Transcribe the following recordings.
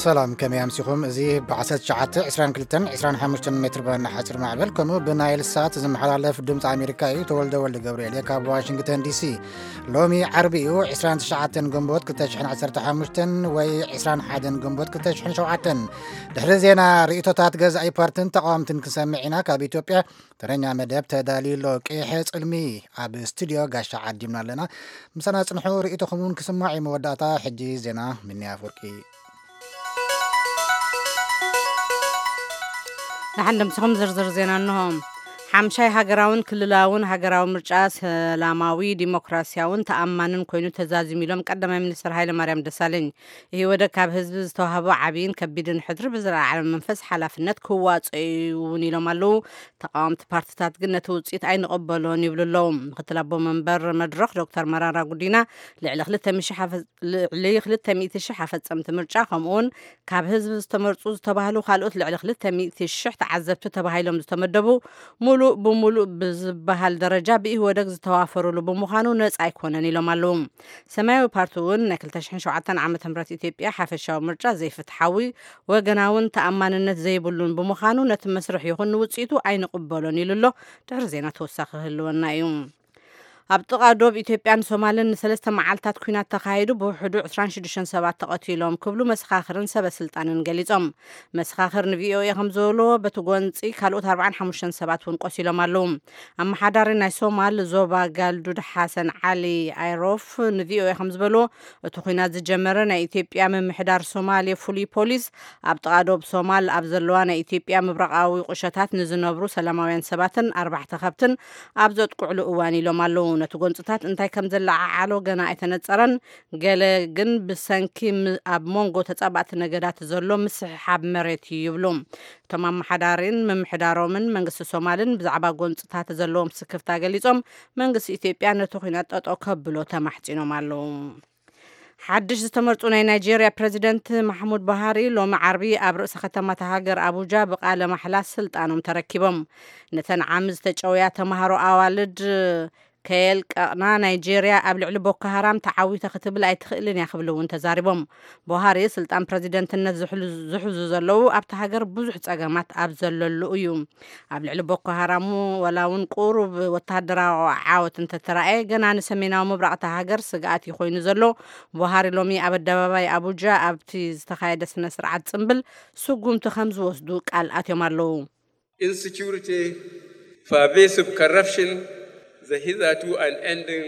ሰላም፣ ከመይ ኣምሲኹም? እዚ ብ19፣ 22፣ 25 ሜትር ባንድ ሓፂር ማዕበል፣ ከምኡ ብናይል ሳት ዝመሓላለፍ ድምፂ ኣሜሪካ እዩ። ተወልደ ወልደ ገብርኤል እየ ካብ ዋሽንግተን ዲሲ። ሎሚ ዓርቢ እዩ፣ 29 ግንቦት 2015 ወይ 21 ግንቦት 2007። ድሕሪ ዜና፣ ርእይቶታት ገዛኢ ፓርትን ተቃወምትን ክንሰምዕ ኢና። ካብ ኢትዮጵያ ተረኛ መደብ ተዳልዩ ኣሎ። ቀይሐ ጽልሚ ኣብ ስቱድዮ ጋሻ ዓዲምና ኣለና። ምሳና ጽንሑ፣ ርእይቶኹም እውን ክስማዕ እዩ። መወዳእታ ሕጂ ዜና። ምንያ ኣፍወርቂ። ንሓን ድምስኹም ዝርዝር ዜና እንሆ። ሓምሻይ ሃገራውን ክልላውን ሃገራዊ ምርጫ ሰላማዊ፣ ዲሞክራሲያውን ተኣማንን ኮይኑ ተዛዚሙ ኢሎም ቀዳማይ ሚኒስትር ሃይለ ማርያም ደሳለኝ። ኢህወደግ ካብ ህዝቢ ዝተዋህቦ ዓብይን ከቢድን ሕድሪ ብዝለዓለ መንፈስ ሓላፍነት ክዋፅኦ እዩ እውን ኢሎም ኣለዉ። ተቃወምቲ ፓርትታት ግን ነቲ ውፅኢት ኣይንቕበሎን ይብሉ ኣለዉ። ምክትል ኣቦ መንበር መድረኽ ዶክተር መራራ ጉዲና ልዕሊ 200 ኣፈ- ልዕሊ 200,000 ኣፈፀምቲ ምርጫ፣ ከምኡውን ካብ ህዝቢ ዝተመርፁ ዝተባህሉ ካልኦት ልዕሊ 200,000 ተዓዘብቲ ተባሂሎም ዝተመደቡ፣ ሙሉእ ብሙሉእ ብዝበሃል ደረጃ ብኢህወደግ ዝተዋፈሩሉ ብምዃኑ ነፃ ኣይኮነን ኢሎም ኣለዉ። ሰማያዊ ፓርቲ እውን ናይ 2007 ዓ.ም ኢትዮጵያ ሓፈሻዊ ምርጫ ዘይፍትሓዊ፣ ወገናውን ተኣማንነት ዘይብሉን ብምዃኑ ነቲ መስርሕ ይኹን ንውፅኢቱ ኣይንቕበሎን ኢሉ ኣሎ። ድሕሪ ዜና ተወሳኺ ክህልወና እዩ። ኣብ ጥቓ ዶብ ኢትዮጵያን ሶማልን ንሰለስተ መዓልታት ኲናት ተኻሂዱ፣ ብውሕዱ 26 ሰባት ተቐቲሎም ክብሉ መሰኻኽርን ሰበ ስልጣንን ገሊጾም። መሰኻኽር ንቪኦኤ ከም ዝበልዎ፣ በቲ ጎንጺ ካልኦት 45 ሰባት እውን ቆሲሎም ኣለዉ። ኣመሓዳሪ ናይ ሶማል ዞባ ጋልዱድ ሓሰን ዓሊ ኣይሮፍ ንቪኦኤ ከም ዝበልዎ፣ እቲ ኲናት ዝጀመረ ናይ ኢትዮጵያ ምምሕዳር ሶማሌ ፍሉይ ፖሊስ ኣብ ጥቓ ዶብ ሶማል ኣብ ዘለዋ ናይ ኢትዮጵያ ምብራቓዊ ቁሸታት ንዝነብሩ ሰላማውያን ሰባትን ኣርባሕተ ከብትን ኣብ ዘጥቅዕሉ እዋን ኢሎም ኣለዉ። ነቲ ጎንፅታት እንታይ ከም ዘለዓዓሎ ገና ኣይተነፀረን። ገለ ግን ብሰንኪ ም- ኣብ መንጎ ተፃባእቲ ነገዳት ዘሎ ምስሕሓብ መሬት እዩ ይብሉ። እቶም ኣመሓዳሪን ምምሕዳሮምን መንግስቲ ሶማልን ብዛዕባ ጎንፅታት ዘለዎም ስክፍታ ገሊፆም፣ መንግስቲ ኢትዮጵያ ነቲ ኲናት ጠጠው ከብሎ ተማሕፂኖም ኣለዉ። ሓድሽ ዝተመርፁ ናይ ናይጄርያ ፕረዚደንት ማሕሙድ ቡሃሪ ሎሚ ዓርቢ ኣብ ርእሰ ከተማ እታ ሃገር ኣቡጃ ብቃለ ማሕላ ስልጣኖም ተረኪቦም። ነተን ዓሚ ዝተጨውያ ተምሃሮ ኣዋልድ ከየልቀቕና፣ ናይጄርያ ኣብ ልዕሊ ቦኮ ሃራም ተዓዊተ ክትብል ኣይትኽእልን እያ ክብሉ እውን ተዛሪቦም። ቡሃሪ ስልጣን ፕረዚደንትነት ዝሕሉ- ዝሕዙ ዘለዉ ኣብቲ ሃገር ብዙሕ ጸገማት ኣብ ዘለሉ እዩ። ኣብ ልዕሊ ቦኮ ሃራም ዋላ እውን ቁሩብ ወተሃደራዊ ዓወት እንተተራእየ፣ ገና ንሰሜናዊ ምብራቕ እታ ሃገር ስግኣት እዩ ኮይኑ ዘሎ። ቡሃሪ ሎሚ ኣብ ኣደባባይ ኣቡጃ ኣብቲ ዝተኻየደ ስነ ስርዓት ጽምብል ስጉምቲ ከም ዝወስዱ ቃል ኣትዮም ኣለዉ። Insecurity, pervasive corruption, the hitherto unending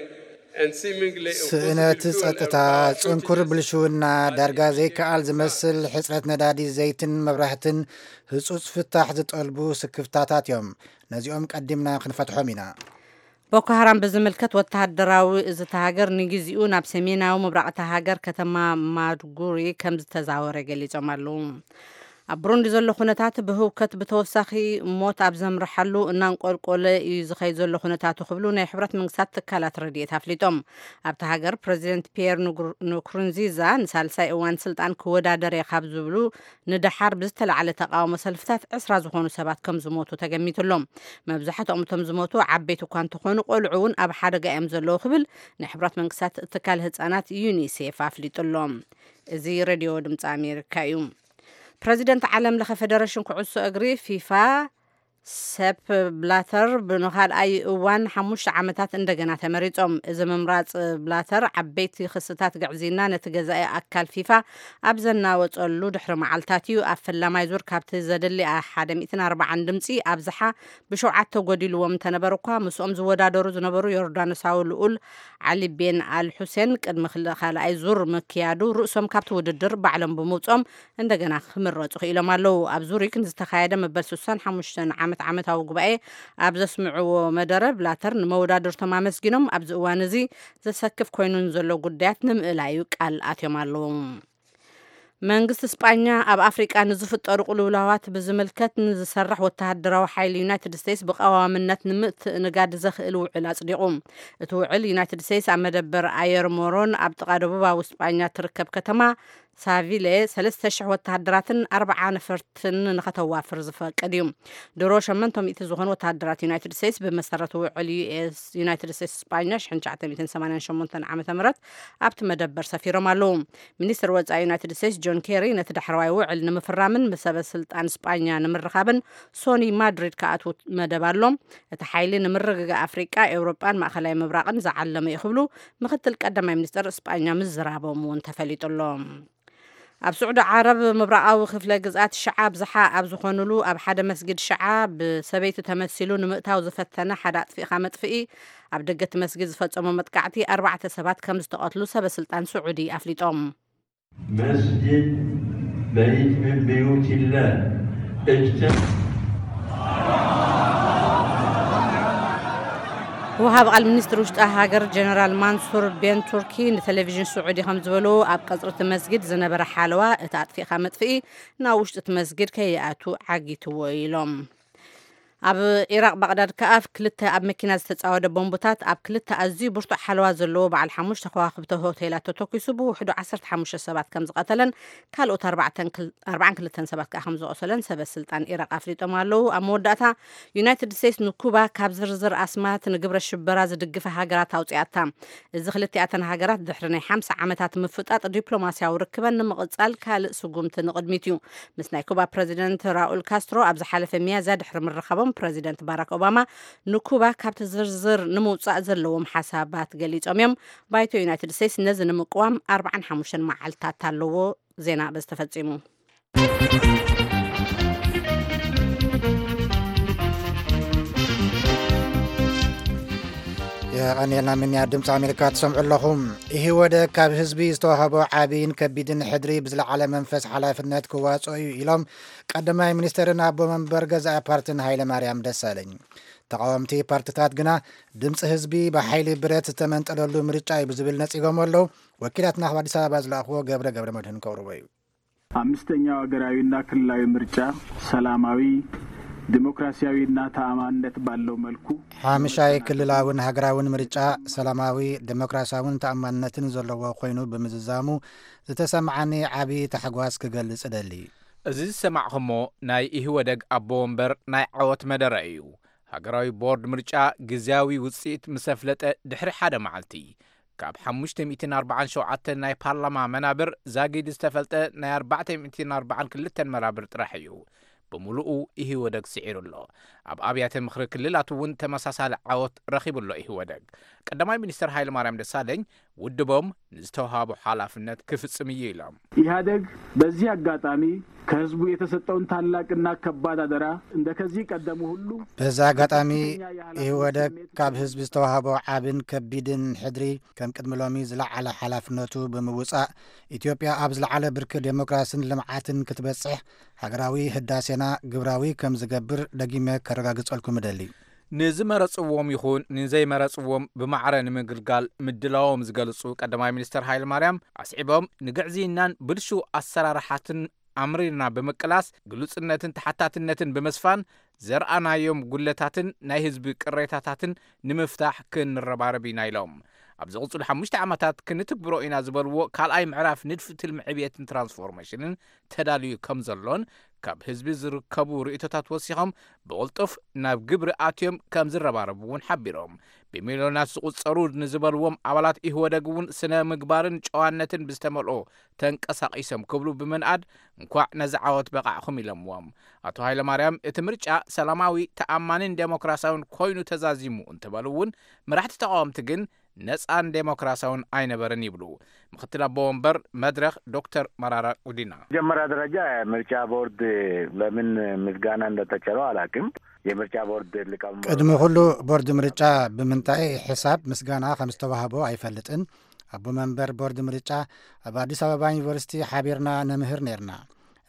and seemingly ስእነት impossible to ጸጥታ፣ overcome ጽንኩር shortages ብልሽውና፣ ዳርጋ ዘይከኣል ዝመስል ሕጽረት ነዳዲ ዘይትን መብራህትን ህጹጽ ፍታሕ ዝጠልቡ ስክፍታታት እዮም። ነዚኦም ቀዲምና ክንፈትሖም ኢና። ቦኮ ሃራም ብዝምልከት፣ ወተሃደራዊ እዚ እታ ሃገር ንግዜኡ ናብ ሰሜናዊ ምብራቕ እታ ሃገር ከተማ ማድጉሪ ከም ዝተዛወረ ገሊጾም ኣለዉ። ኣብ ብሩንዲ ዘሎ ኩነታት ብህውከት ብተወሳኺ ሞት ኣብ ዘምርሓሉ እናንቆልቆለ እዩ ዝኸይድ ዘሎ ኩነታቱ ክብሉ ናይ ሕብረት መንግስታት ትካላት ረድኤት ኣፍሊጦም። ኣብታ ሃገር ፕረዚደንት ፒየር ንጉር- ንኩሩንዚዛ ንሳልሳይ እዋን ስልጣን ክወዳደር እየ ካብ ዝብሉ ንደሓር ብዝተላዕለ ተቃውሞ ሰልፍታት ዕስራ ዝኾኑ ሰባት ከም ዝሞቱ ተገሚቱ ኣሎ። መብዛሕትኦም እቶም ዝሞቱ ዓበይቲ እኳ እንተኾኑ፣ ቆልዑ እውን ኣብ ሓደጋ እዮም ዘለዉ ክብል ናይ ሕብራት መንግስታት ትካል ህፃናት ዩኒሴፍ ኣፍሊጡ ኣሎ። እዚ ሬድዮ ድምፂ ኣሜሪካ እዩ። ፕረዚደንት ዓለም ለኸ ፌደሬሽን ኩዕሶ እግሪ ፊፋ ሰፕ ብላተር ብንኻልኣይ እዋን ሓሙሽተ ዓመታት እንደገና ተመሪጾም። እዚ ምምራጽ ብላተር ዓበይቲ ክስታት ግዕዝይና ነቲ ገዛኢ ኣካል ፊፋ ኣብ ዘናወጸሉ ድሕሪ መዓልታት እዩ። ኣብ ፈላማይ ዙር ካብቲ ዘድሊ ሓደ ሚእትን ኣርባዓን ድምጺ ኣብዝሓ ብሸውዓተ ጎዲልዎም እንተነበሩ እኳ፣ ምስኦም ዝወዳደሩ ዝነበሩ ዮርዳኖሳዊ ልኡል ዓሊ ቤን ኣል ሑሴን ቅድሚ ክል- ካልኣይ ዙር ምክያዱ ርእሶም ካብቲ ውድድር ባዕሎም ብምውጾም እንደገና ክምረጹ ክኢሎም ኣለዉ። ኣብ ዙሪክ ንዝተኻየደ መበል 65 ዓመት ዓመታዊ ጉባኤ ኣብ ዘስምዕዎ መደረ ብላተር ንመወዳድርቶም ኣመስጊኖም፣ ኣብዚ እዋን እዚ ዘሰክፍ ኮይኑ ንዘሎ ጉዳያት ንምእላዩ ቃል ኣትዮም ኣለዉ። መንግስቲ ስጳኛ ኣብ ኣፍሪቃ ንዝፍጠሩ ቅልውላዋት ብዝምልከት ንዝሰርሕ ወተሃደራዊ ሓይሊ ዩናይትድ ስቴትስ ብቀዋምነት ንምትእንጋድ ዘኽእል ውዕል ኣጽዲቑ። እቲ ውዕል ዩናይትድ ስቴትስ ኣብ መደበር ኣየር ሞሮን ኣብ ጥቓ ደቡባዊ ስጳኛ ትርከብ ከተማ ሳቪለ ሰለስተ ሽሕ ወተሃደራትን ኣርባዓ ነፈርትን ንኸተዋፍር ዝፈቅድ እዩ። ድሮ ሸመንተ ሚእቲ ዝኾኑ ወተሃደራት ዩናይትድ ስቴትስ ብመሰረት ውዕል ዩ ኤስ ዩናይትድ ስቴትስ ስጳኛ ሽሕን ትሽዓተ ሚእትን ሰማንያን ሸሞንተን ዓመተ ምህረት ኣብቲ መደበር ሰፊሮም ኣለዉ። ሚኒስትር ወጻኢ ዩናይትድ ስቴትስ ጆን ኬሪ ነቲ ዳሕረዋይ ውዕል ንምፍራምን ምስ ሰበ ስልጣን ስጳኛ ንምርኻብን ሶኒ ማድሪድ ክኣትዉ መደብ ኣሎ። እቲ ሓይሊ ንምርግጋእ ኣፍሪቃ፣ ኤውሮጳን ማእኸላይ ምብራቕን ዝዓለመ እዩ ክብሉ ምክትል ቀዳማይ ሚኒስትር ስጳኛ ምዝራቦም እውን ተፈሊጡ ኣሎ። ኣብ ስዑዲ ዓረብ ምብራቓዊ ክፍለ ግዝኣት ሽዓ ኣብዝሓ ኣብ ዝኾኑሉ ኣብ ሓደ መስጊድ ሽዓ ብሰበይቲ ተመሲሉ ንምእታው ዝፈተነ ሓደ ኣጥፊእኻ መጥፍኢ ኣብ ደገ እቲ መስጊድ ዝፈጸሞ መጥቃዕቲ ኣርባዕተ ሰባት ከም ዝተቐትሉ ሰበ ስልጣን ስዑዲ ኣፍሊጦም። መስጅድ በይት ምን ብዩትላህ እጅተ ወሃብ ቃል ሚኒስትር ውሽጢ ሃገር ጀነራል ማንሱር ቤን ቱርኪ ንቴሌቪዥን ስዑዲ ከም ዝበሉ ኣብ ቀጽሪ እቲ መስጊድ ዝነበረ ሓለዋ እቲ ኣጥፊእኻ መጥፍኢ ናብ ውሽጢ እቲ መስጊድ ከይኣቱ ዓጊትዎ ኢሎም። ኣብ ኢራቕ ባቕዳድ ከኣ ክልተ ኣብ መኪና ዝተጻወደ ቦምብታት ኣብ ክልተ ኣዝዩ ብርቱዕ ሓለዋ ዘለዎ በዓል ሓሙሽተ ከዋኽብቲ ሆቴላት ተተኲሱ ብውሕዱ ዓሰርተ ሓሙሽተ ሰባት ከም ዝቐተለን ካልኦት ኣርባዕተን ክል- ኣርባዓን ክልተን ሰባት ከኣ ከም ዘቑሰለን ሰበ ስልጣን ኢራቕ ኣፍሊጦም ኣለዉ። ኣብ መወዳእታ ዩናይትድ ስቴትስ ንኩባ ካብ ዝርዝር ኣስማት ንግብረ ሽበራ ዝድግፈ ሃገራት ኣውጺኣታ። እዚ ክልቲኣተን ሃገራት ድሕሪ ናይ ሓምሳ ዓመታት ምፍጣጥ ዲፕሎማስያዊ ርክበን ንምቕጻል ካልእ ስጉምቲ ንቕድሚት እዩ። ምስ ናይ ኩባ ፕረዚደንት ራኡል ካስትሮ ኣብ ዝሓለፈ ሚያዝያ ድሕሪ ምርኻቦም ፕረዚደንት ባራክ ኦባማ ንኩባ ካብቲ ዝርዝር ንምውጻእ ዘለዎም ሓሳባት ገሊጾም እዮም። ባይቶ ዩናይትድ ስቴትስ ነዚ ንምቅዋም ኣርባዓን ሓሙሽተን መዓልታት ኣለዎ። ዜና በዚ ተፈጺሙ። የቐንየልና ምንያ ድምፂ ኣሜሪካ ትሰምዑ ኣለኹም። ኢህወደግ ካብ ህዝቢ ዝተዋህቦ ዓብይን ከቢድን ሕድሪ ብዝለዓለ መንፈስ ሓላፍነት ክዋፅኦ እዩ ኢሎም ቀዳማይ ሚኒስትርን ኣቦ መንበር ገዛኢ ፓርትን ሃይለ ማርያም ደሳለኝ። ተቃወምቲ ፓርትታት ግና ድምፂ ህዝቢ ብሓይሊ ብረት ዝተመንጠለሉ ምርጫ እዩ ብዝብል ነፂጎም ኣለዉ። ወኪላትና ካብ ኣዲስ ኣበባ ዝለኣኽዎ ገብረ ገብረ መድህን ከቕርቦ እዩ። አምስተኛው ሀገራዊና ክልላዊ ምርጫ ሰላማዊ፣ ዲሞክራሲያዊና ተኣማንነት ባለው መልኩ ሓምሻይ ክልላውን ሃገራውን ምርጫ ሰላማዊ፣ ዴሞክራሲያውን ተኣማንነትን ዘለዎ ኮይኑ ብምዝዛሙ ዝተሰማዓኒ ዓቢ ታሕጓስ ክገልጽ እደሊ። እዚ ዝሰማዕኹሞ ናይ ኢህወደግ ኣቦ ወንበር ናይ ዓወት መደረ እዩ። ሃገራዊ ቦርድ ምርጫ ግዝያዊ ውጽኢት ምስ ኣፍለጠ ድሕሪ ሓደ መዓልቲ ካብ ሓሙሽተ ሚእትን ኣርባዓን ሸውዓተን ናይ ፓርላማ መናብር ዛጊድ ዝተፈልጠ ናይ ኣርባዕተ ሚእትን ኣርባዓን ክልተን መናብር ጥራሕ እዩ ብምሉኡ ኢህወደግ ስዒሩ ኣሎ። ኣብ ኣብያተ ምኽሪ ክልላት እውን ተመሳሳሊ ዓወት ረኺቡ ኣሎ ኢህወደግ። ቀዳማይ ሚኒስትር ሃይለማርያም ደሳለኝ ውድቦም ንዝተውሃቦ ሓላፍነት ክፍጽም እዩ ኢሎም። ኢህአደግ በዚህ አጋጣሚ ከህዝቡ የተሰጠውን ታላቅና ከባድ አደራ እንደ ከዚህ ቀደሙ ሁሉ በዚ ኣጋጣሚ ኢህወደግ ካብ ህዝቢ ዝተዋህቦ ዓብን ከቢድን ሕድሪ ከም ቅድሚ ሎሚ ዝለዓለ ሓላፍነቱ ብምውጻእ ኢትዮጵያ ኣብ ዝለዓለ ብርኪ ዴሞክራሲን ልምዓትን ክትበጽሕ ሃገራዊ ህዳሴና ግብራዊ ከም ዝገብር ደጊመ ከረጋግጸልኩም እደሊ። ንዝመረጽዎም ይኹን ንዘይመረጽዎም ብማዕረ ንምግልጋል ምድላዎም ዝገልጹ ቀዳማይ ሚኒስትር ሃይለማርያም ኣስዒቦም ንግዕዝይናን ብልሹው ኣሰራርሓትን ኣምሪርና ብምቅላስ ግሉጽነትን ተሓታትነትን ብምስፋን ዘርኣናዮም ጉለታትን ናይ ህዝቢ ቅሬታታትን ንምፍታሕ ክንረባረብ ኢና ኢሎም። ኣብ ዝቕጽሉ ሓሙሽተ ዓመታት ክንትግብሮ ኢና ዝበልዎ ካልኣይ ምዕራፍ ንድፊ ትልሚ ዕብየትን ትራንስፎርሜሽንን ተዳልዩ ከም ዘሎን ካብ ህዝቢ ዝርከቡ ርእይቶታት ወሲኾም ብቕልጡፍ ናብ ግብሪ ኣትዮም ከም ዝረባረቡ እውን ሓቢሮም። ብሚልዮናት ዝቑጸሩ ንዝበልዎም ኣባላት ኢህወደግ እውን ስነ ምግባርን ጨዋነትን ብዝተመልኦ ተንቀሳቒሶም ክብሉ ብምንኣድ እንኳዕ ነዚ ዓወት በቓዕኹም ኢሎምዎም። ኣቶ ሃይለማርያም እቲ ምርጫ ሰላማዊ፣ ተኣማንን ዴሞክራሲያውን ኮይኑ ተዛዚሙ እንትበሉ እውን መራሕቲ ተቃወምቲ ግን ነፃን ዴሞክራሲያውን ኣይነበርን ይብሉ ምክትል ኣቦ ወንበር መድረኽ ዶክተር መራራ ጉዲና። መጀመሪያ ደረጃ ምርጫ ቦርድ ለምን ምስጋና እንደተቸረው አላውቅም። የምርጫ ቦርድ ሊቀመንበር ቅድሚ ኩሉ ቦርድ ምርጫ ብምንታይ ሕሳብ ምስጋና ከም ዝተዋህቦ ኣይፈልጥን። ኣቦ መንበር ቦርድ ምርጫ ኣብ ኣዲስ ኣበባ ዩኒቨርሲቲ ሓቢርና ነምህር ነርና።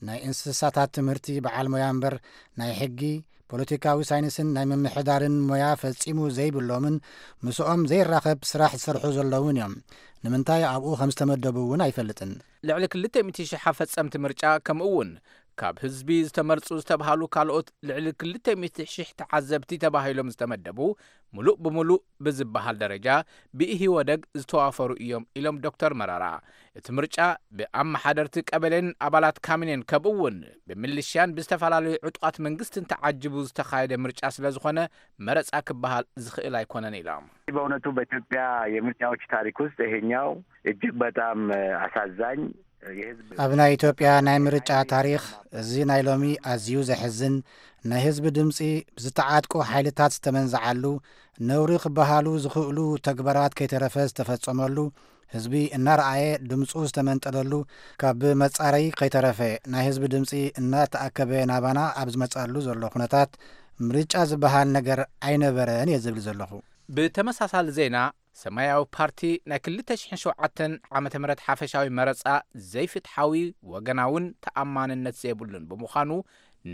ናይ እንስሳታት ትምህርቲ በዓል ሞያ እምበር ናይ ሕጊ፣ ፖለቲካዊ ሳይንስን ናይ ምምሕዳርን ሞያ ፈጺሙ ዘይብሎምን ምስኦም ዘይራኸብ ስራሕ ዝሰርሑ ዘለውን እዮም። ንምንታይ ኣብኡ ከም ዝተመደቡ እውን ኣይፈልጥን። ልዕሊ ክልተ ሚእቲ ሽሕ ኣፈጸምቲ ምርጫ ከምኡ እውን ካብ ህዝቢ ዝተመርጹ ዝተብሃሉ ካልኦት ልዕሊ ክልተ ሚእቲ ሽሕ ተዓዘብቲ ተባሂሎም ዝተመደቡ፣ ምሉእ ብምሉእ ብዝበሃል ደረጃ ብኢህወደግ ዝተዋፈሩ እዮም ኢሎም ዶክተር መረራ። እቲ ምርጫ ብኣመሓደርቲ ቀበሌን ኣባላት ካሚኔን ከምኡ እውን ብምልሽያን ብዝተፈላለዩ ዕጡቓት መንግስትን ተዓጅቡ ዝተኻየደ ምርጫ ስለ ዝኾነ መረጻ ክበሃል ዝኽእል ኣይኮነን ኢሎም። በእውነቱ በኢትዮጵያ የምርጫዎች ታሪክ ውስጥ ይሄኛው እጅግ በጣም አሳዛኝ የህዝብ ኣብ ናይ ኢትዮጵያ ናይ ምርጫ ታሪኽ እዚ ናይ ሎሚ ኣዝዩ ዘሕዝን፣ ናይ ህዝቢ ድምፂ ብዝተዓጥቁ ሓይልታት ዝተመንዝዓሉ፣ ነውሪ ክበሃሉ ዝኽእሉ ተግባራት ከይተረፈ ዝተፈጸመሉ፣ ህዝቢ እናረኣየ ድምፁ ዝተመንጠለሉ፣ ካብ መጻረይ ከይተረፈ ናይ ህዝቢ ድምፂ እናተኣከበ ናባና ኣብ ዝመጻሉ ዘሎ ኩነታት ምርጫ ዝበሃል ነገር ኣይነበረን እየ ዝብል ዘለኹ። ብተመሳሳሊ ዜና፣ ሰማያዊ ፓርቲ ናይ ክልተ ሽሕን ሸውዓተን ዓመተ ምህረት ሓፈሻዊ መረጻ ዘይፍትሓዊ፣ ወገናውን ተኣማንነት ዘይብሉን ብምዃኑ፣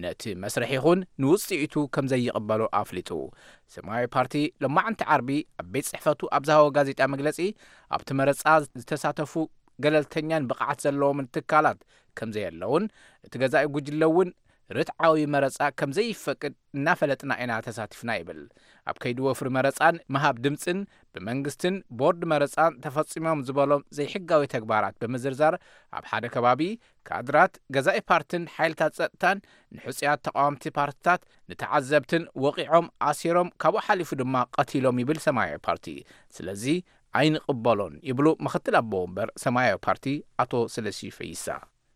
ነቲ መስርሕ ይኹን ንውጽኢቱ ከም ዘይቕበሎ ኣፍሊጡ። ሰማያዊ ፓርቲ ሎማዕንቲ ዓርቢ ኣብ ቤት ጽሕፈቱ ኣብ ዝሃቦ ጋዜጣ መግለጺ፣ ኣብቲ መረጻ ዝተሳተፉ ገለልተኛን ብቕዓት ዘለዎምን ትካላት ከም ዘየለውን፣ እቲ ገዛኢ ጉጅለ እውን ርትዓዊ መረጻ ከም ዘይፈቅድ እናፈለጥና ኢና ተሳቲፍና ይብል። ኣብ ከይዲ ወፍሪ መረጻን ምሃብ ድምጽን ብመንግስትን ቦርድ መረጻን ተፈጺሞም ዝበሎም ዘይሕጋዊ ተግባራት ብምዝርዛር፣ ኣብ ሓደ ከባቢ ካድራት ገዛኢ ፓርትን ሓይልታት ጸጥታን ንሕጹያት ተቃወምቲ ፓርትታት ንተዓዘብትን ወቒዖም ኣሲሮም፣ ካብኡ ሓሊፉ ድማ ቀቲሎም ይብል ሰማያዊ ፓርቲ። ስለዚ ኣይንቕበሎን ይብሉ ምኽትል ኣቦ ወንበር ሰማያዊ ፓርቲ ኣቶ ስለሺ ፈይሳ።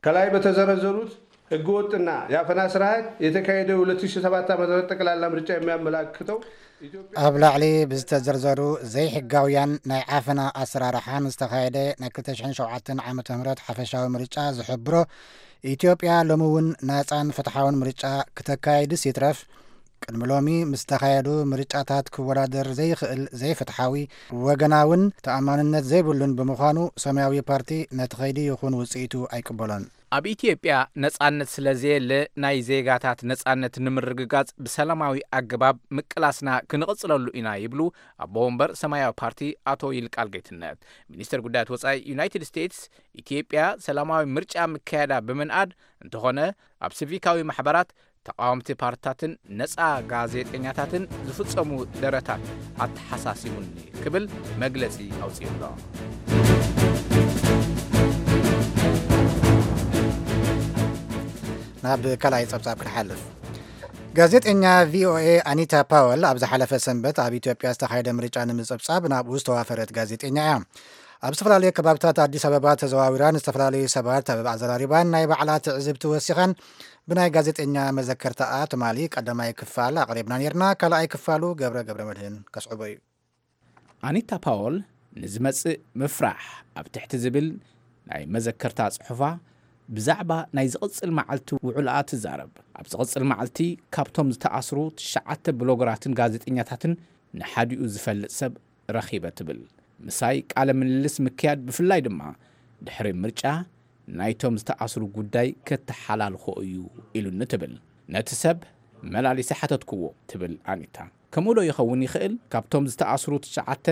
ከላይ በተዘረዘሩት ህገወጥና የአፈና ስርዓት የተካሄደ ሁለት ሺህ ሰባት ዓመተ ምህረት ጠቅላላ ምርጫ የሚያመላክተው ኢትዮጵያ ኣብ ላዕሊ ብዝተዘርዘሩ ዘይሕጋውያን ናይ ዓፈና ኣሰራርሓን ዝተኻየደ ናይ ክልተ ሽሕን ሸውዓተን ዓመተ ምህረት ሓፈሻዊ ምርጫ ዝሕብሮ፣ ኢትዮጵያ ሎሚ እውን ናጻን ፍትሓውን ምርጫ ክተካይድስ ይትረፍ፣ ቅድሚ ሎሚ ምስ ተኻየዱ ምርጫታት ክወዳደር ዘይኽእል፣ ዘይፍትሓዊ፣ ወገናውን ተኣማንነት ዘይብሉን ብምዃኑ፣ ሰማያዊ ፓርቲ ነቲ ኸይዲ ይኹን ውጽኢቱ ኣይቅበሎን። ኣብ ኢትዮጵያ ነጻነት ስለ ዘየለ፣ ናይ ዜጋታት ነጻነት ንምርግጋጽ ብሰላማዊ ኣገባብ ምቅላስና ክንቕጽለሉ ኢና ይብሉ ኣቦ ወንበር ሰማያዊ ፓርቲ ኣቶ ይልቃል ጌትነት። ሚኒስተር ጉዳያት ወጻኢ ዩናይትድ ስቴትስ፣ ኢትዮጵያ ሰላማዊ ምርጫ ምክያዳ ብምንኣድ፣ እንተኾነ ኣብ ሲቪካዊ ማሕበራት፣ ተቃወምቲ ፓርትታትን ነጻ ጋዜጠኛታትን ዝፍጸሙ ደረታት ኣተሓሳሲቡኒ ክብል መግለጺ ኣውጺኡ ኣሎ። ናብ ካልኣይ ጸብጻብ ክንሓልፍ። ጋዜጠኛ ቪኦኤ ኣኒታ ፓወል ኣብ ዝሓለፈ ሰንበት ኣብ ኢትዮጵያ ዝተኻየደ ምርጫ ንምጽብጻብ ናብኡ ዝተዋፈረት ጋዜጠኛ እያ። ኣብ ዝተፈላለዩ ከባብታት ኣዲስ ኣበባ ተዘዋዊራን ዝተፈላለዩ ሰባት ኣብ ኣዘራሪባን ናይ ባዕላ ትዕዝብቲ ወሲኻን ብናይ ጋዜጠኛ መዘከርታኣ ትማሊ ቀዳማይ ክፋል ኣቕሪብና ነይርና። ካልኣይ ክፋሉ ገብረ ገብረ መድህን ከስዕቦ እዩ። ኣኒታ ፓወል ንዝመጽእ ምፍራሕ ኣብ ትሕቲ ዝብል ናይ መዘከርታ ጽሑፋ ብዛዕባ ናይ ዝቕጽል መዓልቲ ውዕልኣ ትዛረብ። ኣብ ዝቕጽል መዓልቲ ካብቶም ዝተኣስሩ ትሽዓተ ብሎገራትን ጋዜጠኛታትን ንሓዲኡ ዝፈልጥ ሰብ ረኺበ ትብል። ምሳይ ቃለ ምልልስ ምክያድ፣ ብፍላይ ድማ ድሕሪ ምርጫ ናይቶም ዝተኣስሩ ጉዳይ ከተሓላልኾ እዩ ኢሉኒ ትብል። ነቲ ሰብ መላሊሰ ሓተትክዎ ትብል ኣኒታ። ከምኡ ዶ ይኸውን ይኽእል? ካብቶም ዝተኣስሩ ትሽዓተ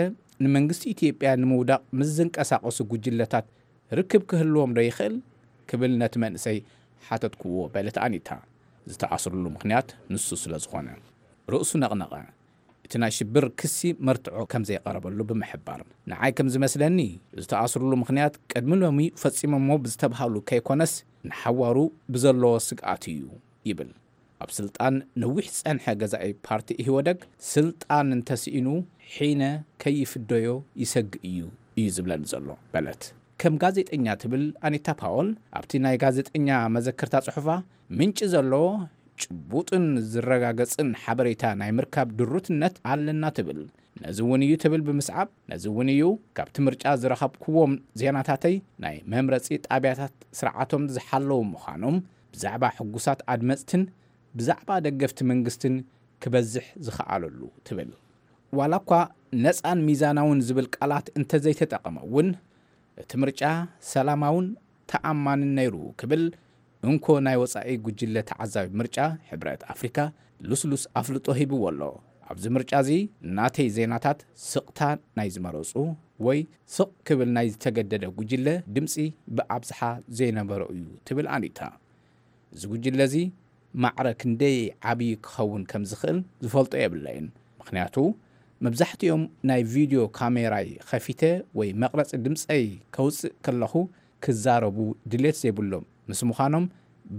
ንመንግስቲ ኢትዮጵያ ንምውዳቕ ምስ ዝንቀሳቐሱ ጉጅለታት ርክብ ክህልዎም ዶ ይኽእል? ክብል ነቲ መንእሰይ ሓተትክዎ በለት ኣኒታ። ዝተኣስሩሉ ምኽንያት ንሱ ስለ ዝኾነ ርእሱ ነቕነቐ። እቲ ናይ ሽብር ክሲ መርትዖ ከም ዘይቐረበሉ ብምሕባር፣ ንዓይ ከም ዝመስለኒ ዝተኣስሩሉ ምኽንያት ቅድሚ ሎሚ ፈጺሞሞ ብዝተብሃሉ ከይኮነስ ንሓዋሩ ብዘለዎ ስግኣት እዩ ይብል። ኣብ ስልጣን ነዊሕ ዝጸንሐ ገዛኢ ፓርቲ ኢህወደግ ስልጣን እንተስኢኑ ሒነ ከይፍደዮ ይሰግእ እዩ እዩ ዝብለኒ ዘሎ በለት። ከም ጋዜጠኛ ትብል ኣኒታ ፓወል ኣብቲ ናይ ጋዜጠኛ መዘከርታ ጽሑፋ ምንጪ ዘለዎ ጭቡጥን ዝረጋገጽን ሓበሬታ ናይ ምርካብ ድሩትነት ኣለና ትብል። ነዚ እውን እዩ ትብል ብምስዓብ፣ ነዚ እውን እዩ ካብቲ ምርጫ ዝረኸብክዎም ዜናታተይ ናይ መምረጺ ጣብያታት ስርዓቶም ዝሓለዉ ምዃኖም፣ ብዛዕባ ሕጉሳት ኣድመጽትን ብዛዕባ ደገፍቲ መንግስትን ክበዝሕ ዝኸኣለሉ ትብል። ዋላ እኳ ነጻን ሚዛናውን ዝብል ቃላት እንተዘይተጠቐመ እውን፣ እቲ ምርጫ ሰላማውን ተኣማንን ነይሩ ክብል እንኮ ናይ ወጻኢ ጉጅለ ተዓዛቢ ምርጫ ሕብረት ኣፍሪካ ልስሉስ ኣፍልጦ ሂብዎ ኣሎ። ኣብዚ ምርጫ እዚ ናተይ ዜናታት ስቕታ ናይ ዝመረጹ ወይ ስቕ ክብል ናይ ዝተገደደ ጉጅለ ድምጺ ብኣብዝሓ ዘይነበሮ እዩ ትብል ኣኒታ። እዚ ጉጅለ እዚ ማዕረ ክንደይ ዓብዪ ክኸውን ከም ዝኽእል ዝፈልጦ የብለይን። ምኽንያቱ መብዛሕትኦም ናይ ቪድዮ ካሜራይ ኸፊተ ወይ መቕረፂ ድምፀይ ከውፅእ ከለኹ ክዛረቡ ድሌት ዘይብሎም ምስ ምዃኖም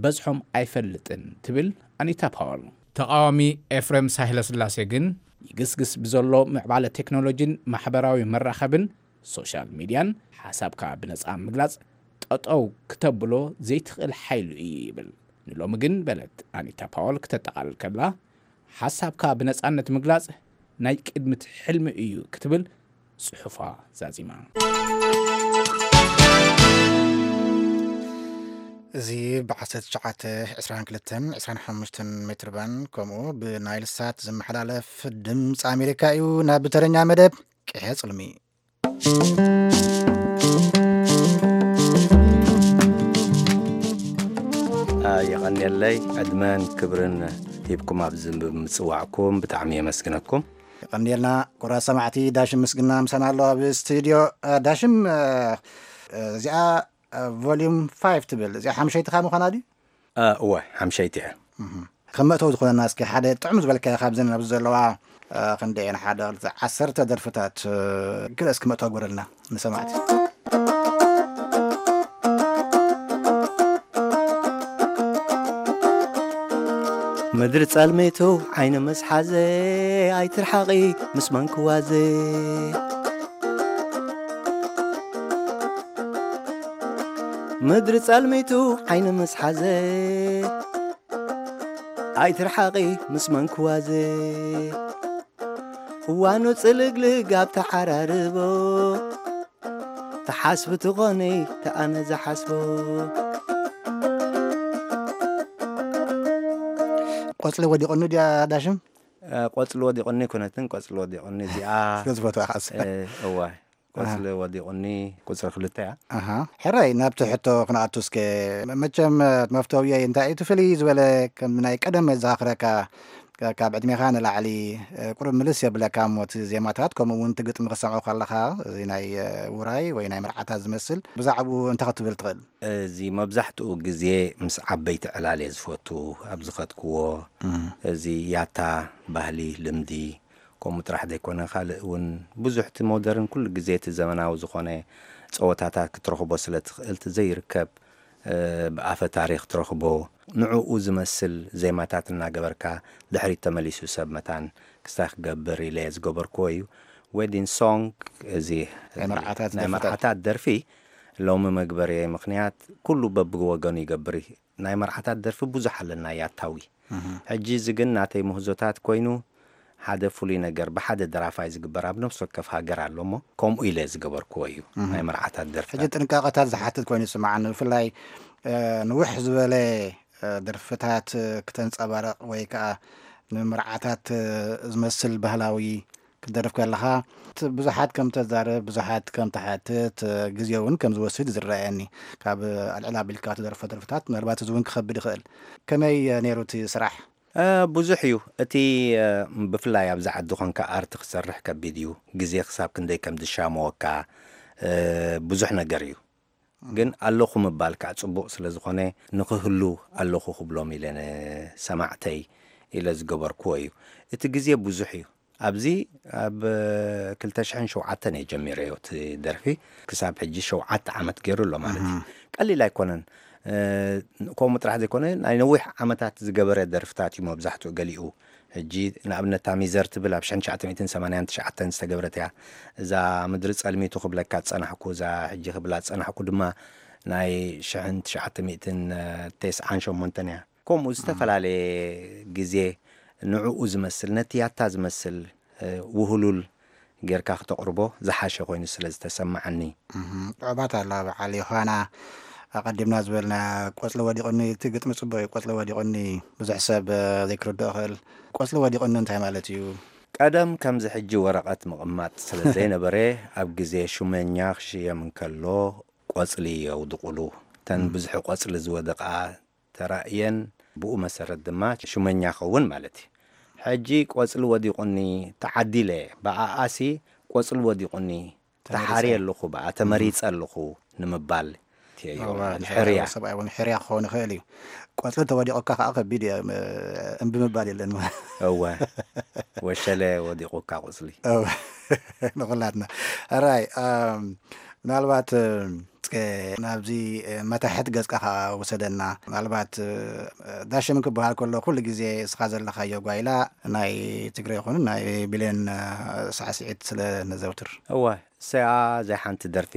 በዝሖም ኣይፈልጥን ትብል ኣኒታ ፓወል። ተቓዋሚ ኤፍሬም ሳህለስላሴ ግን ይግስግስ ብዘሎ ምዕባለ ቴክኖሎጂን ማሕበራዊ መራኸብን ሶሻል ሚድያን ሓሳብካ ብነፃ ምግላፅ ጠጠው ክተብሎ ዘይትኽእል ሓይሉ እዩ ይብል። ንሎሚ ግን በለት ኣኒታ ፓወል ክተጠቓልል ከብላ ሓሳብካ ብነፃነት ምግላፅ ናይ ቅድምት ሕልሚ እዩ ክትብል ጽሑፋ ዛዚማ። እዚ ብ1922 25 ሜትር ባን ከምኡ ብናይል ሳት ዝመሓላለፍ ድምፂ ኣሜሪካ እዩ። ናብ ብተረኛ መደብ ቅሐ ጽልሚ። የቐንየለይ። ዕድመን ክብርን ሂብኩም ኣብዚ ብምጽዋዕኩም ብጣዕሚ የመስግነኩም። የቐንየልና። ኩራ ሰማዕቲ፣ ዳሽም ምስግና ምሳና ኣሎ ኣብ ስቱዲዮ። ዳሽም፣ እዚኣ ቮሊዩም ፋይቭ ትብል፣ እዚኣ ሓምሸይትኻ ምዃና ድዩ? እወ፣ ሓምሸይቲ እየ። ከም መእተዊ ዝኾነና እስኪ ሓደ ጥዑም ዝበልካዮ ካብዘን ኣብዚ ዘለዋ ክንደየን ሓደ ክልተ ዓሰርተ ደርፍታት ግለ እስኪ መእተዊ ግበረልና ንሰማዕቲ። ምድሪ ጸልሚቱ ዓይኒ ምስ ሓዘ ኣይትርሓቒ ምስ መንክዋዘ። ምድሪ ጸልሚቱ ዓይኒ ምስ ሓዘ ኣይትርሓቒ ምስ መንክዋዘ። እዋኑ ጽልግልግ ኣብ ተሓራርቦ ተሓስቢ ትኾኒ ተኣነ ዝሓስቦ። ቆጽሊ ወዲቑኒ ድያ ዳሽም? ቆጽሊ ወዲቑኒ ኩነትን ቆጽሊ ወዲቑኒ እዚኣ ስለ ዝፈትዋ ኻስ። እዋይ ቆጽሊ ወዲቑኒ ቁጽሪ ክልተ እያ። ኣሃ። ሕራይ ናብቲ ሕቶ ክንኣቱ እስከ። መቸም መፍተውየይ እንታይ እቲ ፍልይ ዝበለ ከም ናይ ቀደም ዘኻኽረካ ካብ ዕድሜኻ ንላዕሊ ቁሩብ ምልስ የብለካ እሞ እቲ ዜማታት ከምኡ እውን እቲ ግጥሚ ክሰምዖ ከለኻ እዚ ናይ ውራይ ወይ ናይ መርዓታት ዝመስል ብዛዕባኡ እንታይ ክትብል ትኽእል? እዚ መብዛሕትኡ ግዜ ምስ ዓበይቲ ዕላል እየ ዝፈቱ ኣብ ዝኸድክዎ። እዚ ያታ ባህሊ ልምዲ ከምኡ ጥራሕ ዘይኮነ ካልእ እውን ብዙሕ እቲ ሞደርን ኩሉ ግዜ እቲ ዘመናዊ ዝኾነ ፀወታታት ክትረኽቦ ስለ ትኽእል እቲ ዘይርከብ ብኣፈ ታሪኽ ትረኽቦ ንዕኡ ዝመስል ዜማታት እናገበርካ ድሕሪት ተመሊሱ ሰብ መታን ክስታይ ክገብር ኢለ ዝገበርክዎ እዩ። ዌዲን ሶንግ እዚ ናይ መርዓታት ናይ ደርፍታት። መርዓታት ደርፊ ሎሚ መግበሪ ምኽንያት ኩሉ በብወገኑ ይገብር እዩ። ናይ መርዓታት ደርፊ ብዙሕ ኣለና ያታዊ። ሕጂ እዚ ግን ናተይ ምህዞታት ኮይኑ ሓደ ፍሉይ ነገር ብሓደ ደራፋይ ዝግበር ኣብ ነፍሲ ወከፍ ሃገር ኣሎ እሞ ከምኡ ኢለ ዝገበርክዎ እዩ። ናይ መርዓታት ደርፊ ሕጂ ጥንቃቐታት ዝሓትት ኮይኑ ይስምዓኒ። ብፍላይ ንውሕ ዝበለ ደርፍታት ክተንጸባረቕ ወይ ከዓ ንምርዓታት ዝመስል ባህላዊ ክትደርፍ ከለኻ ብዙሓት ከም ተዛርብ ብዙሓት ከም ተሓትት ግዜ እውን ከም ዝወስድ ዝረኣየኒ። ካብ ኣልዕል ኣቢልካ ትደርፎ ደርፍታት ምናልባት እዚ እውን ክኸብድ ይኽእል። ከመይ ነይሩ እቲ ስራሕ? ብዙሕ እዩ እቲ። ብፍላይ ኣብዚ ዓዲ ኮንካ ኣርቲ ክሰርሕ ከቢድ እዩ። ግዜ ክሳብ ክንደይ ከም ዝሻመወካ ብዙሕ ነገር እዩ። ግን ኣለኹ ምባል ከዓ ፅቡቕ ስለ ዝኾነ ንክህሉ ኣለኹ ክብሎም ኢለ ንሰማዕተይ ኢለ ዝገበርክዎ እዩ። እቲ ግዜ ብዙሕ እዩ። ኣብዚ ኣብ ክልተ ሽሕን ሸውዓተን እየ ጀሚረዮ እቲ ደርፊ። ክሳብ ሕጂ ሸውዓተ ዓመት ገይሩ ኣሎ ማለት እዩ። ቀሊል ኣይኮነን። ከምኡ ጥራሕ ዘይኮነ ናይ ነዊሕ ዓመታት ዝገበረ ደርፍታት እዩ መብዛሕትኡ። ገሊኡ ሕጂ ንኣብነት ታሚዘር ትብል ኣብ ሽሕን ትሽዓተ ሚእትን ሰማንያን ትሽዓተን ዝተገብረት እያ። እዛ ምድሪ ጸልሚቱ ክብለካ ዝጸናሕኩ እዛ ሕጂ ክብላ ዝጸናሕኩ ድማ ናይ ሽሕን ትሽዓተ ሚእትን ተስዓን ሸሞንተን እያ። ከምኡ ዝተፈላለየ ግዜ ንዕኡ ዝመስል ነቲ ያታ ዝመስል ውህሉል ጌርካ ክተቕርቦ ዝሓሸ ኮይኑ ስለ ዝተሰማዓኒ። ጥዑማት ኣለዋ በዓል ዮሃና። ኣቐዲምና ዝበልና ቆጽሊ ወዲቑኒ እቲ ግጥሚ ጽቡቕ እዩ። ቆጽሊ ወዲቑኒ ብዙሕ ሰብ ዘይክርድኦ ይኽእል። ቆጽሊ ወዲቑኒ እንታይ ማለት እዩ? ቀደም ከምዚ ሕጂ ወረቐት ምቕማጥ ስለ ዘይነበረ ኣብ ግዜ ሹመኛ ክሽየም እንከሎ ቆጽሊ የውድቑሉ። እተን ብዙሒ ቆጽሊ ዝወደቓ ተራእየን ብኡ መሰረት ድማ ሹመኛ ኸውን ማለት እዩ። ሕጂ ቆጽሊ ወዲቑኒ ተዓዲለ ብኣኣሲ ቆጽሊ ወዲቑኒ ተሓርየ ኣለኹ ብኣ ተመሪጸ ኣለኹ ንምባል ኣትየዮ። ሕርያ ሰብኣይ እውን ሕርያ ክኸውን ይኽእል እዩ። ቆፅሊ ተወዲቑካ ከዓ ከቢድ እየ። እምቢ ምባል የለን። እወ፣ ወሸለ ወዲቑካ ቆፅሊ። ንኩላትና ራይ። ምናልባት እስከ ናብዚ መታሕት ገጽካ ከዓ ውሰደና። ምናልባት ዳሽም ክበሃል ከሎ ኩሉ ግዜ እስኻ ዘለኻዮ ጓይላ ናይ ትግረ ይኹን ናይ ብሌን ሳዕስዒት ስለ ነዘውትር። እወ፣ እሰያ፣ ዘይ ሓንቲ ደርፊ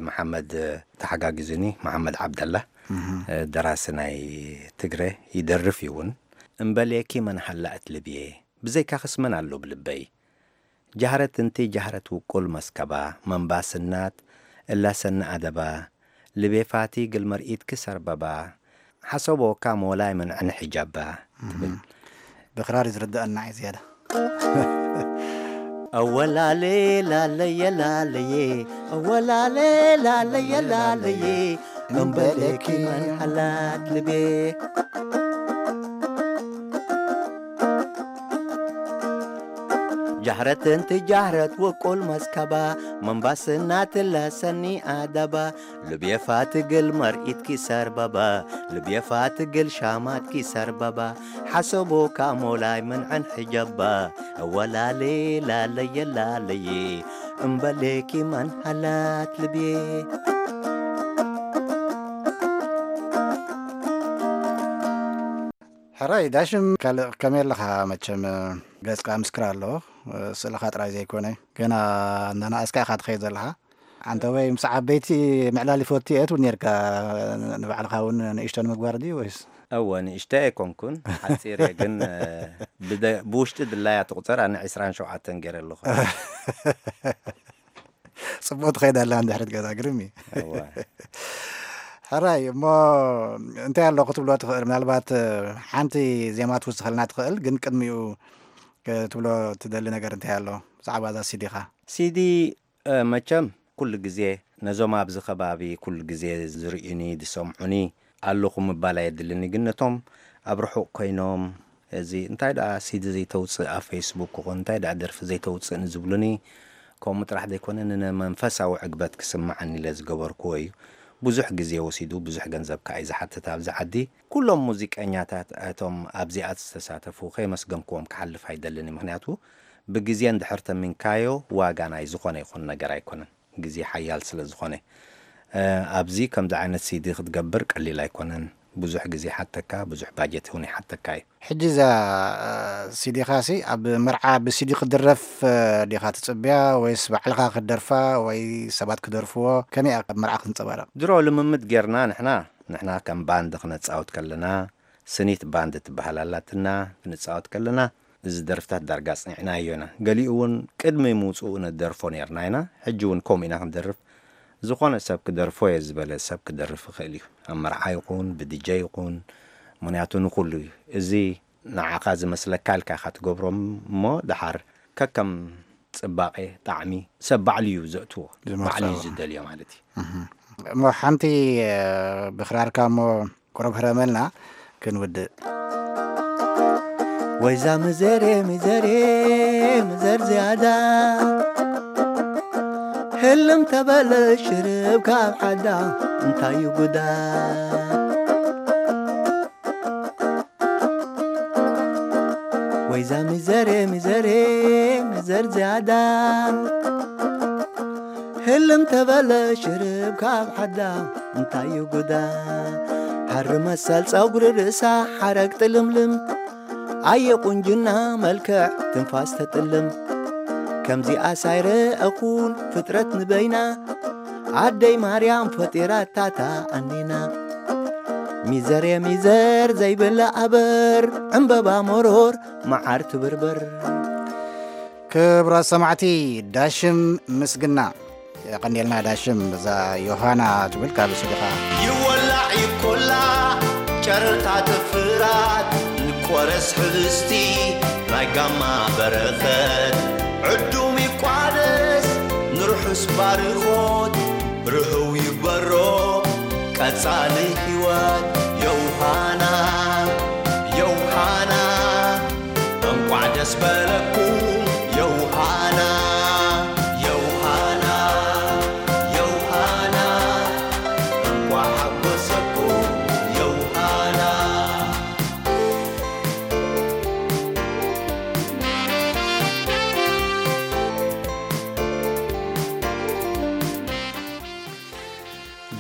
መሓመድ ተሓጋጊዙኒ። መሓመድ ዓብደላ፣ ደራሲ ናይ ትግረ፣ ይደርፍ ይውን። እምበሌኪ መን ሃላእት ልብየ፣ ብዘይካኽስ መን ኣሎ ብልበይ። ጃህረት እንቲ ጃህረት ውቁል መስከባ መንባስናት እላሰኒ ኣደባ፣ ልቤ ፋቲ ግል መርኢትኪ ሰርበባ፣ ሓሰቦካ ሞላይ መንዕን ሕጃባ ትብል። ብክራር ዝርድኣና እዩ ዝያዳ። ኣወላሌ ላለየ ላለየ፣ ኣወላሌ ላለየ ላለየ፣ እምበለኪ መን ሓላት ልቤ። ጃህረት እንቲ ጃህረት ውቁል መስከባ፣ መንባስና ትለሰኒ ኣደባ፣ ልብየ ፋትግል መርኢትኪ ሰርበባ፣ ልብየ ፋትግል ሻማትኪ ሰርበባ፣ ሓሰቦካ ሞላይ ምንዐን ሕጀባ፣ እወላሌ ላለየ ላለየ፣ እምበሌኪ መን ሃላት ልብየ። ሕራይ ዳሽም ካልእ ከመይ ኣለኻ? መቸም ገጽካ ምስክር ኣሎ፣ ስእልኻ ጥራይ ዘይኮነ፣ ገና እናነኣስካ ኢኻ ትኸይድ ዘለኻ። ኣንተ ወይ ምስ ዓበይቲ ምዕላል ይፈቱ እየ ትብል ኔርካ፣ ንባዕልኻ እውን ንእሽቶ ንምግባር ድዩ ወይስ? እወ፣ ንእሽቶ ኣይኮንኩን፣ ሓጺር እየ፣ ግን፣ እ፣ ብደ-፣ ብውሽጢ ድላያ ትቑጸር፣ ኣነ ዕስራን ሸውዓተን ገይረ ኣለኹ። ጽቡቕ ትኸይድ ኣላ እንድሕሪ ትገዛ፣ ግርም እዩ። እወ። ሕራይ፣ እሞ እንታይ ኣሎ ክትብሎ ትኽእል? ምናልባት፣ እ፣ ሓንቲ ዜማ ትውስኸልና ትኽእል፣ ግን ቅድሚኡ ክትብሎ ትደሊ ነገር እንታይ ኣሎ ብዛዕባ እዛ ሲዲኻ? ሲዲ፣ እ፣ መቸም ኩሉ ግዜ ነዞም ኣብዚ ከባቢ ኩሉ ግዜ ዝርእዩኒ፣ ዝሰምዑኒ ኣለኹ ምባል ኣየድልኒ፣ ግን ነቶም ኣብ ርሑቕ ኮይኖም፣ እዚ እንታይ ደኣ ሲዲ ዘይተውጽእ ኣብ ፌስቡክ ክኾን፣ እንታይ ደኣ ደርፊ ዘይተውጽእ ንዝብሉኒ፣ ከምኡ ጥራሕ ዘይኮነ፣ ንመንፈሳዊ ዕግበት ክስምዓኒ ኢለ ዝገበርክዎ እዩ። ብዙሕ ግዜ ወሲዱ፣ ብዙሕ ገንዘብ ከኣ እዩ ዝሓትት ኣብዚ ዓዲ። ኩሎም ሙዚቀኛታት እቶም ኣብዚኣ ዝተሳተፉ ከየመስገንክዎም ክሓልፍ ኣይደልን እዩ። ምኽንያቱ፣ ብግዜ እንድሕር ተሚንካዮ፣ ዋጋ ናይ ዝኾነ ይኹን ነገር ኣይኮነን። ግዜ ሓያል ስለ ዝኾነ፣ እ፣ ኣብዚ ከምዚ ዓይነት ሲዲ ክትገብር ቀሊል ኣይኮነን። ብዙሕ ግዜ ይሓተካ፣ ብዙሕ ባጀት እውን ይሓተካ እዩ። ሕጂ እዛ፣ እ፣ ሲዲኻሲ ኣብ መርዓ ብሲዲ ክድረፍ፣ እ፣ ዲኻ ትጽብያ ወይስ ባዕልኻ ክትደርፋ ወይ ሰባት ክደርፍዎ? ከመይ እያ ኣብ መርዓ ክትንጸባረቕ? ድሮ ልምምድ ጌርና ንሕና፣ ንሕና ከም ባንድ ክነጻወት ከለና፣ ስኒት ባንድ ትበሃል ኣላትና፣ ክንጻወት ከለና፣ እዚ ደርፍታት ዳርጋ ኣጽኒዕናዮ ኢና። ገሊኡ እውን ቅድሚ ምውጽኡ ንደርፎ ኔርና ኢና። ሕጂ እውን ከምኡ ኢና ክንደርፍ። ዝኾነ ሰብ ክደርፎ እየ ዝበለ ሰብ ክደርፍ ይኽእል እዩ። ኣብ መርዓ ይኹን፣ ብዲጀ ይኹን፣ ምኽንያቱ ንኹሉ እዩ። እዚ ንዓኻ ዝመስለካ ኢልካ ኢኻ ትገብሮ እሞ፣ ደሓር ከከም ጽባቐ፣ ጣዕሚ፣ ሰብ ባዕሉ እዩ ዘእትዎ። ዝመርጾ። ባዕሉ እዩ ዝደልዮ ማለት እዩ። እሞ ሓንቲ፣ እ፣ ብኽራርካ እሞ ቁሩብ ህረመልና ክንውድእ። ወይዛ ምዘሬ፣ ምዘሬ፣ ምዘር ዝያዳ፣ ህልም ተበለ ሽርብ ካብ ሓዳ፣ እንታይ እዩ ጉዳ? ወይዛ ምዘሬ፣ ምዘሬ፣ ምዘር ዝያዳ፣ ህልም ተበለ ሽርብ ካብ ሓዳ፣ እንታይ እዩ ጉዳ? ሃሪ መሰል ጸጉሪ ርእሳ ሓረግ ጥልምልም፣ ኣየ ቁንጅና መልክዕ ትንፋስ ተጥልም። ከምዚኣስ ኣይረኣኹን ፍጥረት ንበይና፣ ኣደይ ማርያም ፈጢራታታ ኣኒና። ሚዘር የሚዘር ዘይብላ ኣበር፣ ዕምበባ መሮር መዓር ትብርበር። ክቡራት ሰማዕቲ፣ ዳሽም ምስግና የቐንየልና። ዳሽም፣ እዛ ዮሃና ትብል ካብ ስድኻ። ይወላዕ ይኮላዕ ጨረርታት ፍራት፣ ንቆረስ ሕብስቲ ናይ ጋማ በረኸት። ዕዱም ይቋደስ ንርሑስ ባርኾት፣ ርህው ይግበሮ ቀጻሊ ህይወት። ዮሃና፣ ዮሃና፣ እንቋዕ ደስ በለኩም ዮሃና፣ ዮሃና፣ ዮሃና፣ እንቋዕ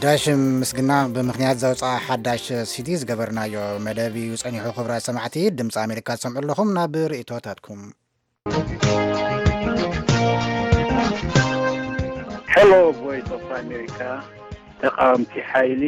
ዳሽም ምስግና ብምኽንያት ዘውፅኣ ሓዳሽ ሲዲ ዝገበርናዮ መደብ እዩ ጸኒሑ። ክቡራት ሰማዕቲ ድምፂ ኣሜሪካ ትሰምዑ ኣለኹም። ናብ ርእይቶታትኩም። ሄሎ፣ ቮይስ ኦፍ ኣሜሪካ። ተቃወምቲ ሓይሊ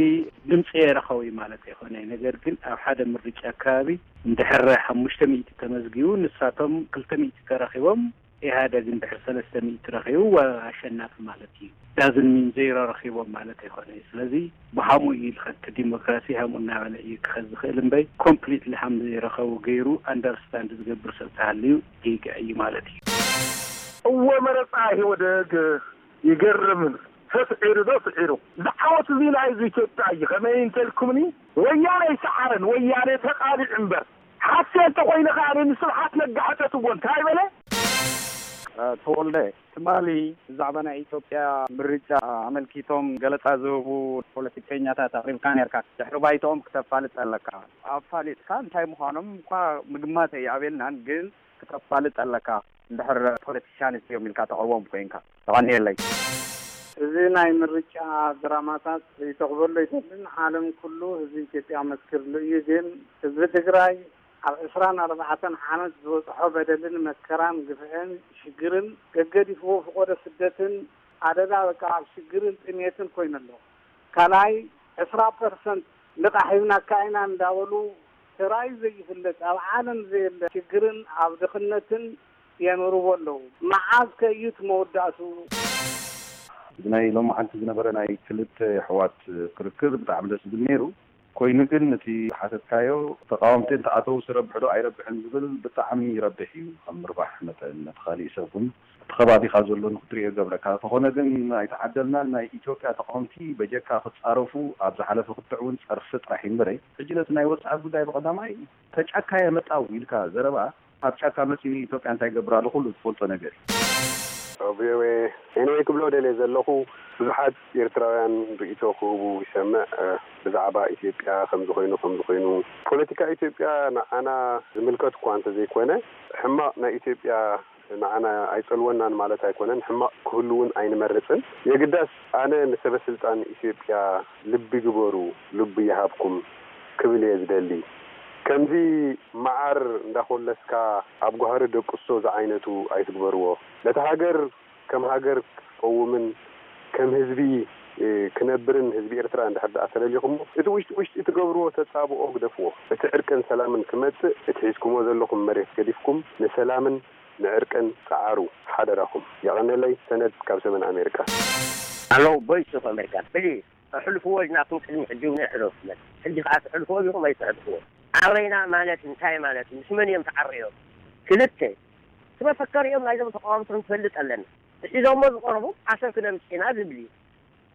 ድምፂ የረኸቡ ማለት ኣይኮነ፣ ነገር ግን ኣብ ሓደ ምርጫ ከባቢ እንድሕር ሓሙሽተ ሚእቲ ተመዝጊቡ፣ ንሳቶም ክልተ ሚእቲ ተረኺቦም፣ ኢህኣደግ እንድሕር ሰለስተ ሚእቲ ረኺቡ፣ ኣሸናፊ ማለት እዩ። ዳዝን ሚን ዜሮ ረኺቦም ማለት ኣይኮነ። ስለዚ ብሃሙ እዩ ዝኸድ፣ ዲሞክራሲ ሃሙ እናበለ እዩ ክኸድ ዝኽእል እምበይ፣ ኮምፕሊትሊ ሃም ዘይረኸቡ ገይሩ ኣንደርስታንድ ዝገብር ሰብ ተሃልዩ ጌጋ እዩ ማለት እዩ። እወ መረፃ ኢህወደግ ይገርም። ተስዒሩ ዶ ስዒሩ ዝዓወት እዚ ናይ ህዝቢ ኢትዮጵያ እዩ። ከመይ እንተልኩምኒ ወያነ ይሰዓረን ወያነ ተቃሊዑ እምበር ሓሴ እንተኮይነ ከኣ ንስብሓት ነጋ ሕተትዎ እንታይ በለ? ተወልደ ትማሊ ብዛዕባ ናይ ኢትዮጵያ ምርጫ ኣመልኪቶም ገለፃ ዝህቡ ፖለቲከኛታት ኣቅሪብካ ነርካ። ድሕሪ ባይትኦም ክተፋልጥ ኣለካ። ኣፋሊጥካ እንታይ ምዃኖም እኳ ምግማት ኣይኣበልናን፣ ግን ክተፋልጥ ኣለካ። እንድሕር ፖለቲሻንስ እዮም ኢልካ ተቕርቦም ኮይንካ። ተቐንየለይ። እዚ ናይ ምርጫ ድራማታት ርእይቶ ክበሎ ኣይደልን። ዓለም ኩሉ ህዝቢ ኢትዮጵያ መስክርሉ እዩ። ግን ህዝቢ ትግራይ ኣብ ዕስራን ኣርባዕተን ዓመት ዝበፅሖ በደልን መከራን ግፍዕን ሽግርን ገገዲፍዎ ፍቆዶ ስደትን ኣደዳ በቃ ኣብ ሽግርን ጥሜትን ኮይኑ ኣሎ። ካልኣይ ዕስራ ፐርሰንት ልቓሕ ሂብናካ ኢና እንዳበሉ ተራእዩ ዘይፍለጥ ኣብ ዓለም ዘየለ ሽግርን ኣብ ድኽነትን የንብርዎ ኣለዉ። መዓዝ ከ እዩ እቲ መወዳእትኡ? እዚ ናይ ሎማዓንቲ ዝነበረ ናይ ክልተ ኣሕዋት ክርክር ብጣዕሚ ደስ ዝብል ነይሩ። ኮይኑ ግን እቲ ዝሓተትካዮ ተቃወምቲ እንተኣተው ዝረብሕ ዶ ኣይረብሕን ዝብል ብጣዕሚ ይረብሕ እዩ። ከም ምርባሕ መጠን ነቲ ካሊእ ሰብ እውን እቲ ከባቢኻ ዘሎ ንክትሪኦ ይገብረካ። እንተኾነ ግን ኣይተዓደልናን። ናይ ኢትዮጵያ ተቃወምቲ በጀካ ክፃረፉ ኣብ ዝሓለፈ ክትዕ እውን ፀርፊ ጥራሕ እዩ እምበረይ። ሕጂ ነቲ ናይ ወፃኢ ጉዳይ ብቐዳማይ ተጫካ የመጣው ኢልካ ዘረባ ኣብ ጫካ መፂኡ ኢትዮጵያ እንታይ ይገብር ኣሎ ኩሉ ዝፈልጦ ነገር እዩ። ቪኦኤ ኤንወይ ክብሎ ደልየ ዘለኹ ብዙሓት ኤርትራውያን ርእይቶ ክህቡ ይሰምዕ ብዛዕባ ኢትዮጵያ ከምዚ ኮይኑ ከምዚ ኮይኑ ፖለቲካ ኢትዮጵያ ንዓና ዝምልከት እኳ እንተዘይኮነ ሕማቕ ናይ ኢትዮጵያ ንዓና ኣይጸልወናን ማለት ኣይኮነን ሕማቕ ክህሉ እውን ኣይንመርጽን የግዳስ ኣነ ንሰበ ስልጣን ኢትዮጵያ ልቢ ግበሩ ልቢ ይሃብኩም ክብል እየ ዝደሊ ከምዚ መዓር እንዳኾለስካ ኣብ ጓህሪ ደቅሶ ዝዓይነቱ ኣይትግበርዎ ነታ ሃገር ከም ሃገር ክትቀውምን ከም ህዝቢ ክነብርን ህዝቢ ኤርትራ እንድሕር ደኣ ተለሊኹሞ እቲ ውሽጢ ውሽጢ ትገብርዎ ተጻብኦ ግደፍዎ እቲ ዕርቅን ሰላምን ክመጽእ እቲ ሒዝኩሞ ዘለኹም መሬት ገዲፍኩም ንሰላምን ንዕርቅን ጸዓሩ ሓደራኹም የቐነለይ ሰነድ ካብ ሰሜን ኣሜሪካ። Hello Voice of America please ኣሕልፍዎ ኢልናኩም ቅድሚ ሕጂ እውን ኣይሕለፍኩመን ሕጂ ከዓ ትሕልፍዎ ዲኹም ኣይትሕልፍዎ ዓረና ማለት እንታይ ማለት ምስ መን እዮም ተዓርዮም ክልተ እቲ መፈከሪኦም ናይዞም ተቃወምቲ ክንፈልጥ ኣለና እቲ ሒዞሞ ዝቀረቡ ዓሰብ ክነምፅእ ኢና ዝብል እዩ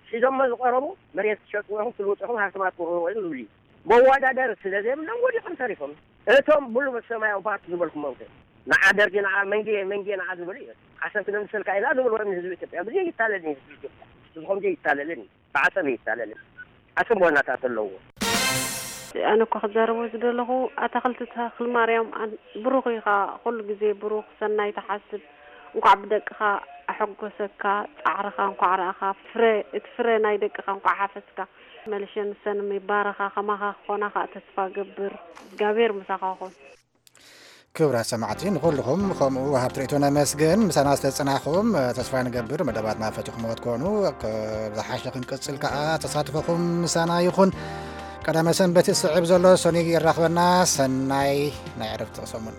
ሒዞሞ ዝቀረቡ መሬት ትሸጥዎ ኢኹም ትልውጡ ኢኹም ሃፍትማት ክውርርዎ እዮም ዝብል እዩ መወዳደሪ ስለ ዘይብሎም ወዲቆም ተሪፎም እቶም ብሉ ሰማያዊ ፓርቲ ዝበልኩሞም ከ ንዓ ደርጊ ንዓ መንጌ መንጌ ንዓ ዝበሉ እዮም ዓሰብ ክነምስልካ ኢና ዝብልዎ ንህዝቢ ኢትዮጵያ ብዘይ ይታለልን ህዝቢ ኢትዮጵያ ህዝቢ ከምዚ ይታለልን እዩ ብዓሰብ ይታለልን ዓሰብ ዋናታት ኣለዎ ኣነ እኳ ክዛረቦ ዝደለኹ ኣታኽልቲ ተኽልማርያም ብሩኽ ኢኻ ኩሉ ግዜ ብሩኽ ሰናይ ትሓስብ እንኳዕ ብደቅኻ ኣሐጎሰካ ፃዕርኻ እንኳዕ ረኣኻ ፍረ እቲ ፍረ ናይ ደቅኻ እንኳዕ ሓፈስካ መልሸ ንሰን ይባረኻ ከማኻ ክኾና ከዓ ተስፋ ገብር እግዚኣብሔር ምሳኻ ኹን ክቡራት ሰማዕቲ ንኹልኹም ከምኡ ወሃብቲ ርእይቶ ነመስግን ምሳና ዝተጽናኹም ተስፋ ንገብር መደባትና ፈቲኹምዎ ትኮኑ ዝሓሸ ክንቅጽል ከዓ ተሳትፎኹም ምሳና ይኹን ቀዳመ ሰንበት ዝስዕብ ዘሎ ሰኑይ የራኽበና ሰናይ ናይ ዕረፍቲ ሰሙን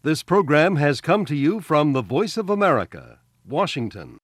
This program has come to you from the Voice of America, Washington.